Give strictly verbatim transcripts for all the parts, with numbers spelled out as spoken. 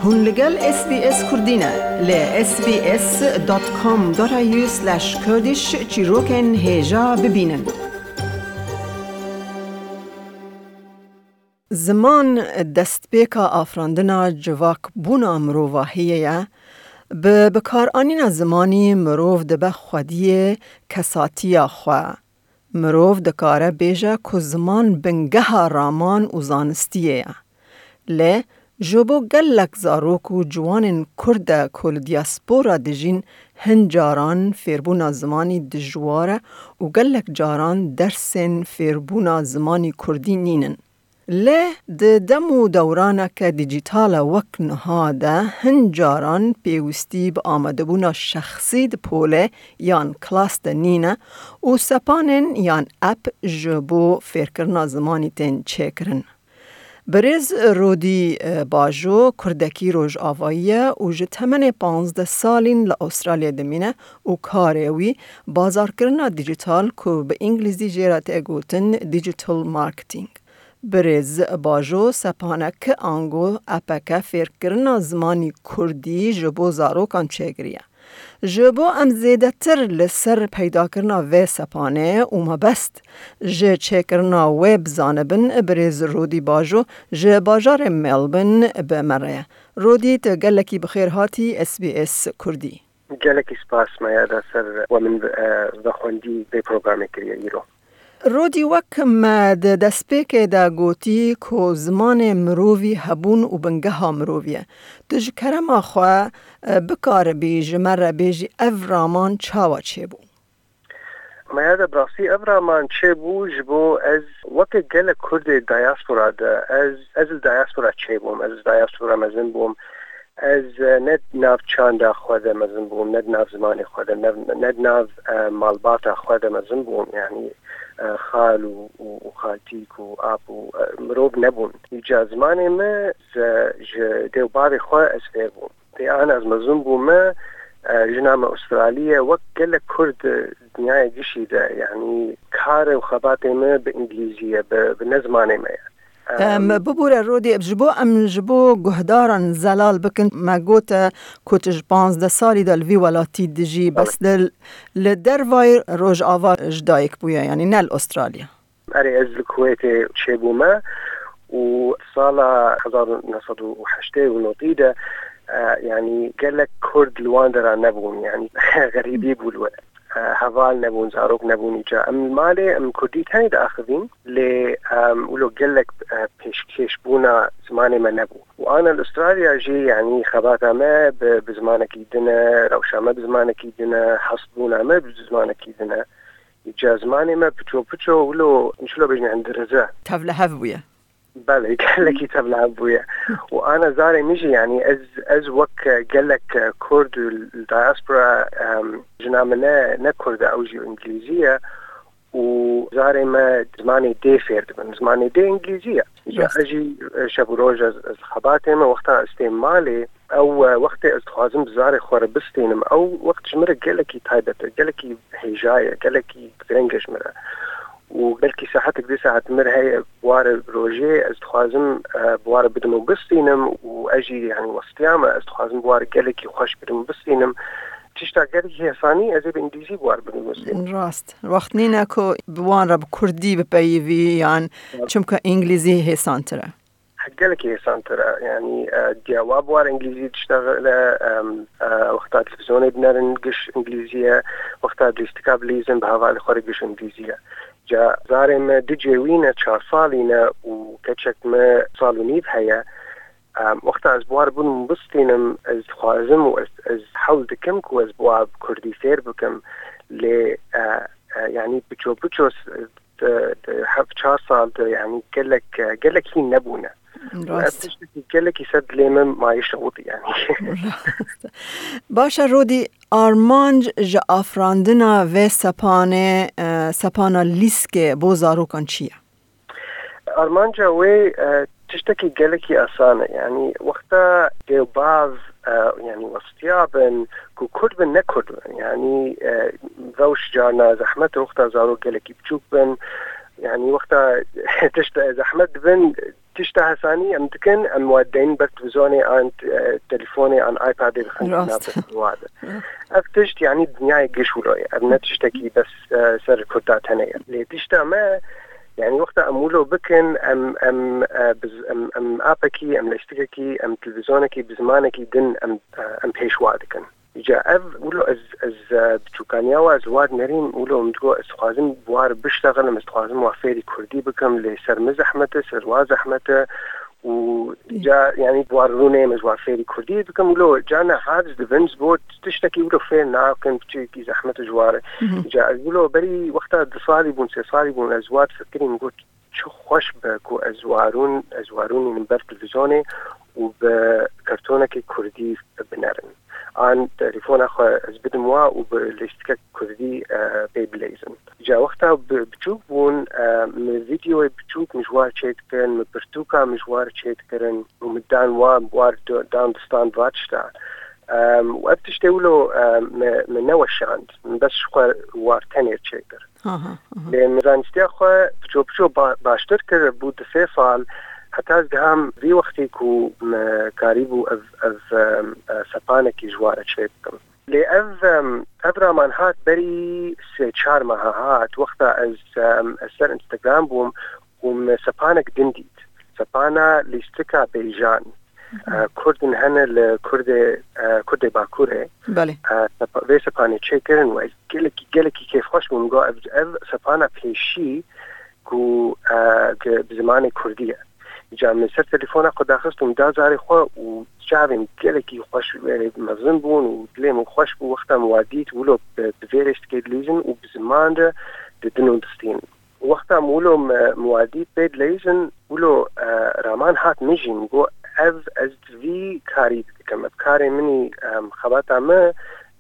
Hûn li gel S B S Kurdî ne, li S B S dot com dot A U slash Kurdish çîrokên hêja bibînin. Ziman destpêka afirandina civakbûna mirovahiyê ye. Bi bikaranîna zimanî mirov dibe xwediyê kesatiya xwe. Mirov dikare bêje ku ziman bingeha raman û zanistiyê ye. Lê ji bo gelek zarok û ciwanên Kurd e ku li diaspora dijîn, hin caran fêrbûna zimanî dijwar e û gelek caran dersên fêrbûna zimanî Kurdî nînin. Lê di dem û dewraneke dîjîtal e wek niha de hin caran pêwîstî bi amadebûna şexsî di polê yan klas de nîne û sepanên yan app ji bo fêrkirina zimanî tên çêkirin. Birêz Rodî, e, Bajo, Kurdekî Rojavayî ye û ji temenê panzdeh salîn li Astralyayê dimîne û karê wî bazarkirina dîjîtal ku bi îngilîzî jê re tê gotin digital marketing. Birêz Bajo sepanek ango epeke fêrkirina zimanî kurdî ji bo zarokan çêkiriye. Ji bo em zêdetir li ser peydakirina vê sepanê û mebest ji çêkirina wê bizanibin, birêz Rodî Bajo ji bajarê Melbourne bi me re ye. Rodî, tu gelekî bi xêr hatî S B S Kurdî. Gelekî spas me ya da ser we min, e, vexwendî vê programê kiriye îro. Rodî, wek me di destpêkê de gotî ku zimanê mirovî hebûn û bingeha mirovî ye. Tu ji kerema xwe, e, bikaribî ji me re bêjî ev raman çawa çêbû? Maya de bi rastî ev raman çêbû ji bo ez weke gelek Kurdê diaspora de, ez, ez li diaspora çêbûm, ez li diaspora mezin bûm. Ez, e, ne di nav çanda xwe de mezin bûm, ne di nav zimanê xwe de, ne, ne di nav, e, malbata xwe de mezin bûm. Yanî, e, xal û, û, û xaltîk û ap û, e, mirov nebûn. Îca zimanê me, e, ji dê û bavê xwe ez fêr bûm. Lê ana ez mezin bûme, e, jina me Australî ye, wek gelek Kurd, e, dinyaya gişî de, yanî kar û xebatê me bi îngilîzî ye, bi, bi ne zimanê me ye. Em, bibûre Rodî, ji bo em, ji bo guhdaran zelal bikin, me gote ku tu ji panzdeh salî de li vî welatî dijî, bes li, li dervayî Rojava ji dayik bûye, yanî ne li Australya. Erê, ez li Kuwêtê çêbûme û sala hezar û neh sed û heştê û notî de, e, yanî gelek Kurd li wan dera nebûn, yanî xerîbî bû li we. E, heval nebûn, zarok nebûn îca. Em li malê, em Kurdî tenê diaxivîn, lê, em, wilo gelek, e, pêşkêşbûna zimanê me nebû. Û ana li Australya jî, yanî xebata me bi, bi zimanekî din e, rewşa me bi zimanekî din e, hestbûna me bi zimanekî din e. Îca zimanê me piço piço wilo, çilo bêjin, endirize. Tevlihev bûye. Belê, gelekî tevlihev bûye. Û ana zarê min jî, yanî ez, ez wek gelek Kurd li diaspora, em, jina min ne, ne Kurd e, ew jî îngilîzî ye. Û zarê me zimanê dê fêr dibin. Zimanê dê îngilîzî ye. Îca Rast. Ez jî, e, şev û roj ez, ez xebatê me, wexta ez têm malê, ew, e, wextê ez dixwazim bi zarê xwe re bistînim, ew wext ji min re gelekî taybet e, gelekî hêja ye, gelekî gireng e ji min re. Û belkî saetek, dê saet min re heye, bi warê rojê ez dixwazim, e, bi warê bidim û bistînim û ez jî, yanî, westiya me, ez dixwazim bi warê gelekî xweş bidim û bistînim. Tişta gelekî hêsanî ez ê bi îngilîzî bi warê bidim û bistînim. Rast. Wext nîne ku bi wan re bi kurdî bipeyivî yan Rast. Çimka îngilîzî hêsantir e. Gelekî hêsantir e. Yanî, e, diya wa bi warê îngilîzî diştexile, em, e, wexta televîzyonê dinerin giş îngilîzî ye, wexta lîstika bilîzin bi hevalê xwe re giş îngilîzî ye. Ca zarê me du cêwî ne, çar salî ne û keçek me sal û nîv heye. Em, wexta ez bi war bûn bistînim, ez dixwazim û ez, ez hewl dikim ku ez bi wa bi kurdî fêr bikim. Lê, e, e, yanî piço piço s-, di, di heft çar sal de, yanî gelek, gelek hîn nebûne. Û ev Rast. Tiştekî gelekî ser dilê min mayî şewitî, yanî. Rast. Baş e, Rodî, armanc ji afirandina vê sepanê, e, sepana lîskê bo zarokan çi ye? Armanca wê, e, tiştekî gelekî asan e. Yanî wexta dê û bav, e, yanî westiya bin ku kurd bin, ne kurd bin. Yanî, e, rewş carna zehmet e, wexta zarok gelekî biçûk bin. Yanî wexta tişt zehmet dibin, Tişta hesanî em dikin, em we deyn ber televîzyonê an, e, telefonê an iPadê dixin Rast. Nav destê we de. Ev tişt, yanî dinyayê giş wilo ye. Ev ne tiştekî bes, e, ser Kurda tenê ye. Lê tişta me, yanî wexta em wilo bikin, em, em, e, biz, em, em apekî, em lêstikekî, em televîzyonekî bi zimanekî din em, e, em pêşwa dikin. Îca ev wilo ez, ez, e, biçûkaniya we ez war nerîm, wilo min digot ez dixwazim bi war biştexelim, ez dixwazim wa fêrî kurdî bikim, lê ser min zehmet e, ser wa zehmet e û Ê. Îca, yanî, bi war rûnê min ji war fêrî kurdî bikim, wilo ca ne hard dibin, ji bo tiştekî wilo fêr nakin, biçûkî zehmet e ji war e. Îca ez wilo berî wexta du salî bûn, sê salî bûn, ez war fikirîm, got, çi xweş be ku ez warûn, ez warûnînim ber televîzyonê û bi kartonekî kurdî binerin. An telefona xwe ez bidim wa û bi lêstikek kurdî, e, pê bileyzin. Ca wexta bi-, biçûk bûn, e, min vîdeoyê biçûk min ji war çêdikirin, min pirtûka min ji war çêdikirin û min dan wa, war do-, dan di stand va tişta. Em, û ev tiştê wilo, em, me, me neweşand. Min bes ji xwe war tenê çêkir. Aha, aha. Lê min zanistiya xwe piço piço ba-, baştir kir, bû du sê sal, heta ez giham vî wextî ku me karîbû ev, ev, em, e, sepanekî ji ware çê bikim. Lê ev, em, ev raman hat berî sê çar meha hat, wexta ez, em, ez ser Instagram bûm û me sepanek din dît. Sepana lîstika bêjan. E, Kurdin hene li Kurdê, e, Kurdê Bakurê. Belê. E, sepa-, vê sepanê çêkirin û ez gelekî, gelekî kêfxweş bûm. Got, ev, ev sepana pêşî ku, e, ki bi zimanê Kurdî ye. Îca min ser telefona xwe daxist û min da zarê xwe û çavên gelekî xweş, e, mezin bûn û dilê min xweş bû. Wexta min wa dît, wilo bi, bi vê rêstikê dilîzin û bi ziman re didin û distînin. Wexta min wilo me, min wa dît pê dileyzin, wilo, e, raman hat min jî, min got, ev ez vî karî dikim. Ev karê min î, em, xebata min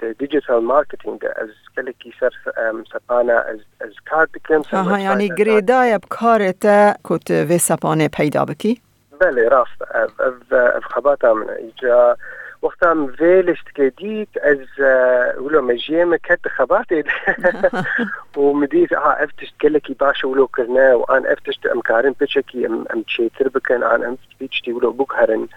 di digital marketing de. Ez gelekî ser, em, sepana ez, ez kar dikim, ser Aha, yanî website kar girêdayî bi karê te ku tu vê sepanê peyda bikî? Belê, rast e. Ev, ev, ev xebata min e. Îca wexta min vê lîstikê dît, ez, e, wilo mejiyê min ket di xebatê de. Û min dît, aha, ev tişt gelekî baş e wilo kirine û an ev tişt em karin piçekî em, em çêtir bikin, an em vî tiştî wilo biguherin.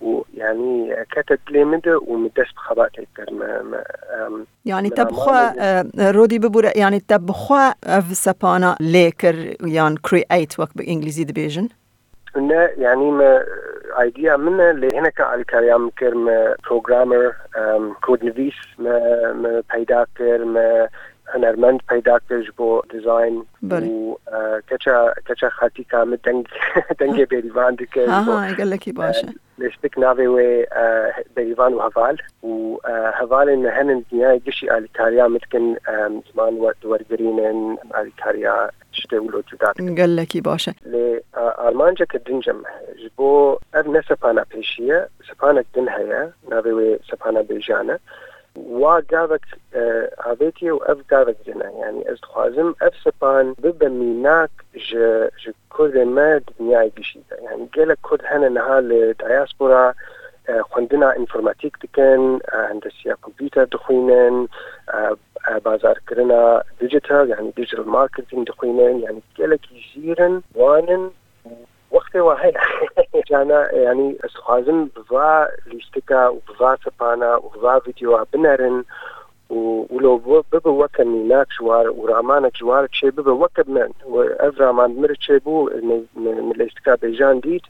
Û, yanî, kete dilê min de û min dest bi xebatê kir. Me, me, em, Yanî me te bi xwe, ramanê e, Rodî bibûre, yanî te bi xwe ev sepana lê kir yan create wek bi îngilîzî dibêjin? Ne, yanî me, idea min e, lê hineke alîkariya min kir, me programmer, em, kodnivîs me, me peyda kir, me hunermend peyda kir ji bo design Belê. û, e, keça, keça xaltîka min deng, dengê bêrîvan dike ji Ha, bo, ha, gelekî baş e. e, lêstik navê wê, e, Bêrîvan û Heval û, e, hevalên me henin dinyayê gişî alîkariya min dikin, e, ziman we-, wergirînin, alîkariya tiştê wilo cuda dikin. Gelekî baş e. Lê, e, armanceke din jî me heye. Ji bo ev ne sepana pêşî ye, sepanek din heye, navê wê sepana bêjan e. Wa gavek, e, avêtiye û ev gavek din e. Yanî ez dixwazim ev sepan bibe mînak ji, ji Kurdên me di dinyayê gişî de. Yanî gelek Kurd hene niha li diaspora, e, xwendina înformatîk dikin, e, hendesiya kompûter dixwînin, e, e, bazarkirina digital, yanî digital marketing dixwînin, yanî gelekî jîr in, wan in, wextê wa heye. Cana, yanî ez dixwazim bi va lîstika û bi va sepana û bi va vîdeoya binerin û wilo bibe weke mînak ji war û ramanek ji war çê bibe weke min. Ev raman bi min re çêbû, min, min, min lîstika bêjan dît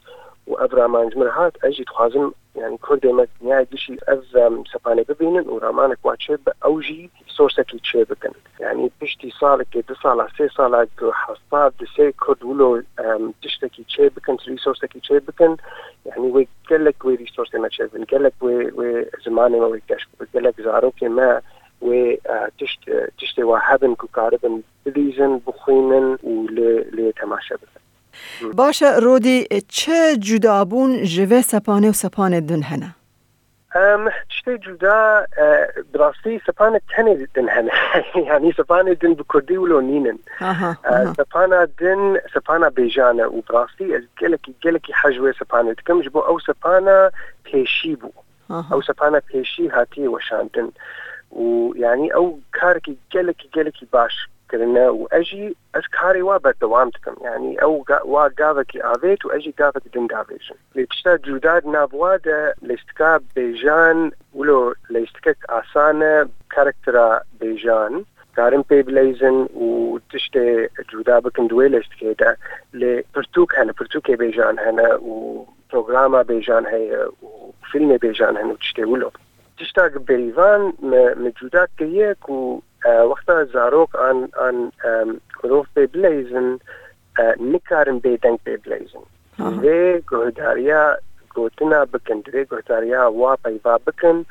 û ev raman ji min re hat, ez jî dixwazim, yanî Kurdê me dinyayê gişî ev, em, sepanê bibînin û ramanek wa çêbibe, ew jî resourcekî çêbikin. Yanî piştî salekê, du sala, sê sala ku heta du sê Kurd wilo, em, tiştekî çêbikin, resourcekî çêbikin, yanî wê gelek wê resourcê me çêbin, gelek wê, wê zimanê me wê geş bibe, gelek zarokê me wê, e, tişt, e, tiştê wa hebin ku karibin bilîzin, bixwînin û lê, lê temaşe bikin. Baş e, Rodî, çi cudabûn ji vê sepanê û sepanê din hene? Em, tiştê cuda, e, bi rastî sepanek tenê din hene. Yanî sepanê din bi kurdî wilo nînin. Aha, E, aha. Sepana din, sepana bêjan e û bi rastî ez gelekî, gelekî hez ji wê sepanê dikim, ji bo ew sepana pêşî bû. Aha. Ew sepana pêşî hatiye weşandin. Û yanî ew karekî gelekî, gelekî baş kirine û ez jî ez karê wa berdewam dikim. Yanî ew ga-, wa gavekî avêt û ez jî gavek din gavêjim. Lê tişta cuda di nav wa de lêstika bêjan wilo lêstikek asan e, karaktera bêjan karin pê bileyzin û tiştê cuda bikin di wê lêstikê de. Lê pirtûk hene, pirtûkê bêjan hene û programa bêjan heye û fîlmê bêjan hene û tiştê wilo. Tişta ki berîvan me, me cuda kiriye ku, e, wexta zarok an, an, em, mirov pê bileyzin, e, nikarin bêdeng pê bileyzin. Aha. Divê guhdariya gotina bikin, divê guhdariya wa peyva bikin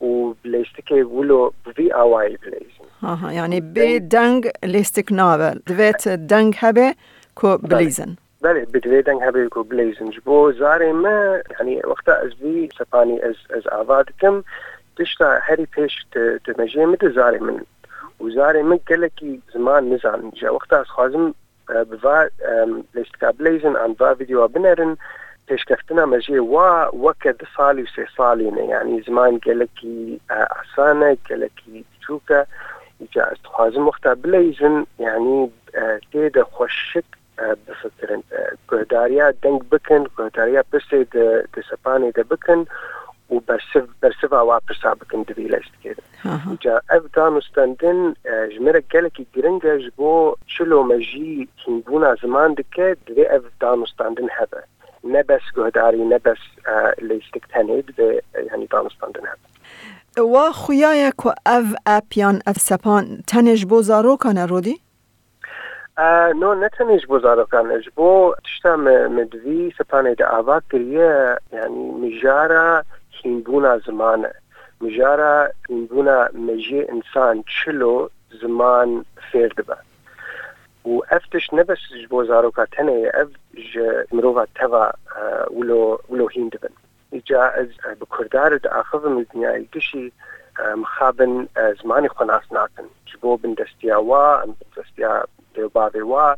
û bi lêstikê wilo bi vî awayî bileyzin. Aha, yani bê deng lêstik nabe. Divêt deng hebe ku bileyzin. Belê, bi divê deng hebe ku bileyzin. Ji bo zarê me, yani wexta ez vî sepanî ez, ez ava dikim, tişta herî pêş di, di mejiyê min de zarê min. Û zarê min gelekî ziman nizanin. Ji wexta ez xwazim, e, bi va, em, lêstika bileyzin an va vîdeoya binerin, pêşkeftina mejiyê wa weke du salî û sê salî ne. Yani ziman gelekî, e, asan e, gelekî biçûk e. Îca ez dixwazim wexta bileyzin, yani, e, tê de xweşik, e, bifikirin. E, guhdariya deng bikin, guhdariya pirsê di, di sepanê de bikin û bersiv, bersiva wa pirsa bikin di vî lêstikê de. Aha. Îca ev danûstendin, e, ji me re gelekî giring e, ji bo çilo mejî hînbûna ziman dike, divê ev danûstendin hebe. Ne bes guhdarî, ne bes, e, lêstik tenê, divê, e, yani danûstendin hebe. Wa xuya ye ku ev app yan ev sepan tenê ji bo zarokan e, Rodî? E, no, ne tenê ji bo zarokan e. Ji bo tişta me, me di vî sepanê de ava kiriye, yani mijara hînbûna ziman e. Mijara hînbûna mejiyê însan çilo ziman fêr dibe. Û ev tişt ne bes ji bo zaroka tenê ye, ev ji mirova teva, e, wilo, wilo hîn dibin. Îca ez, e, bi Kurdar diaxivim û dinyayê gişî, e, mixabin, e, zimanê xwe nas nakin. Ji bo bindestiya wa, em bindestiya dê û bavê wa,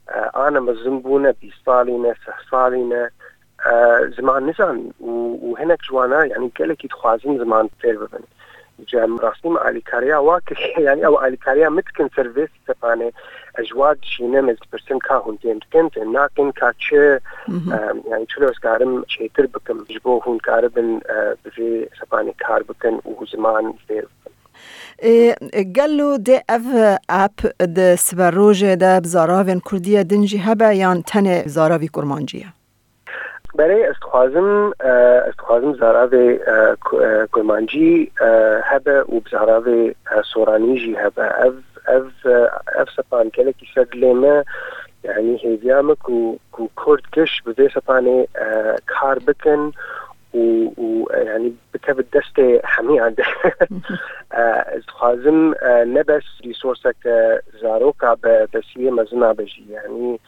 e, ane mezin bûne, bîst salî ne, seh salî ne, e, ziman nizanin û, û hinek ji wana, yani gelekî dixwazin ziman fêr bibin. Îca em rastî me alîkariya wa kiriye, yani ew alîkariya min dikin ser vê sepanê, ez ji wa dişînim, ez dipirsim ka hûn fêm dikin, fêm nakin, ka çi, Mhm. em, yani çilo ez karim çêtir bikim, ji bo hûn karibin, e, bi vê sepanê kar bikin û ziman fêr bikin. Ê, gelo dê ev app di siberojê de bi zaravên kurdî ye din jî hebe yan tenê zaravî kurmancî ye? Berê ez dixwazim, e, ez dixwazim zaravê, e, ku-, e, kurmancî, e, hebe û bi zaravê, e, soranî jî hebe. Ev, ev, e, ev sepan gelekî ser dilê me, yani hêviya me ku, ku kurd giş bi vê sepanê, e, kar bikin û, û, e, yani bikeve destê hemiyan de. E, ez dixwazim, e, ne bes resourceke zaroka be, besiyê mezina be jî. Yani,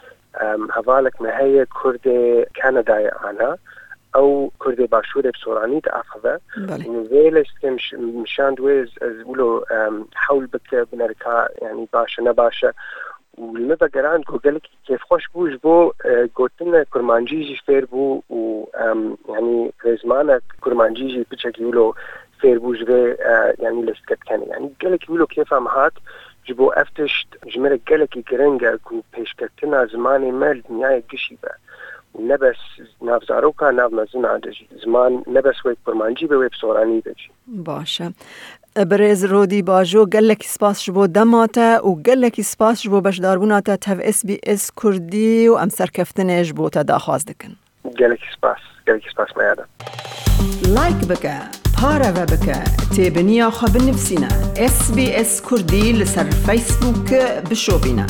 em, hevalek me heye Kurdê Kanadayê ana. Ew Kurdê Başûrê bi soranî diaxive. Belê. Û vê lêstikê miş-, mişand wê ez, ez wilo, em, hewl bike, binere ka, yani baş e, ne baş e. Û li me vegerand ku gelekî kêfxweş bû, ji bo, e, gotina kurmancî jî fêr bû û, em, yanî rêzmanek kurmancî jî piçekî wilo fêr bû ji vê, e, yanî lêstiketikenê. Yanî gelekî wilo kêfa min hat, ji bo ev tişt ji me re gelekî giring e ku pêşketina zimanê me li dinyayê gişî be. Û ne bes nav zaroka, nav mezina de jî. Ziman ne bes wê kurmancî be, wê bi soranî be jî. Baş e. Birêz Rodî Bajo, gelekî spas ji bo dema te û gelekî spas ji bo beşdarbûna te tev S B S Kurdî û em serkeftinê ji bo te daxwaz dikin. Gelekî spas, gelekî spas Meyada. Like bike, pareve bike, têbiniya xwe binivîsîne. S B S Kurdî li ser Facebook bişopîne.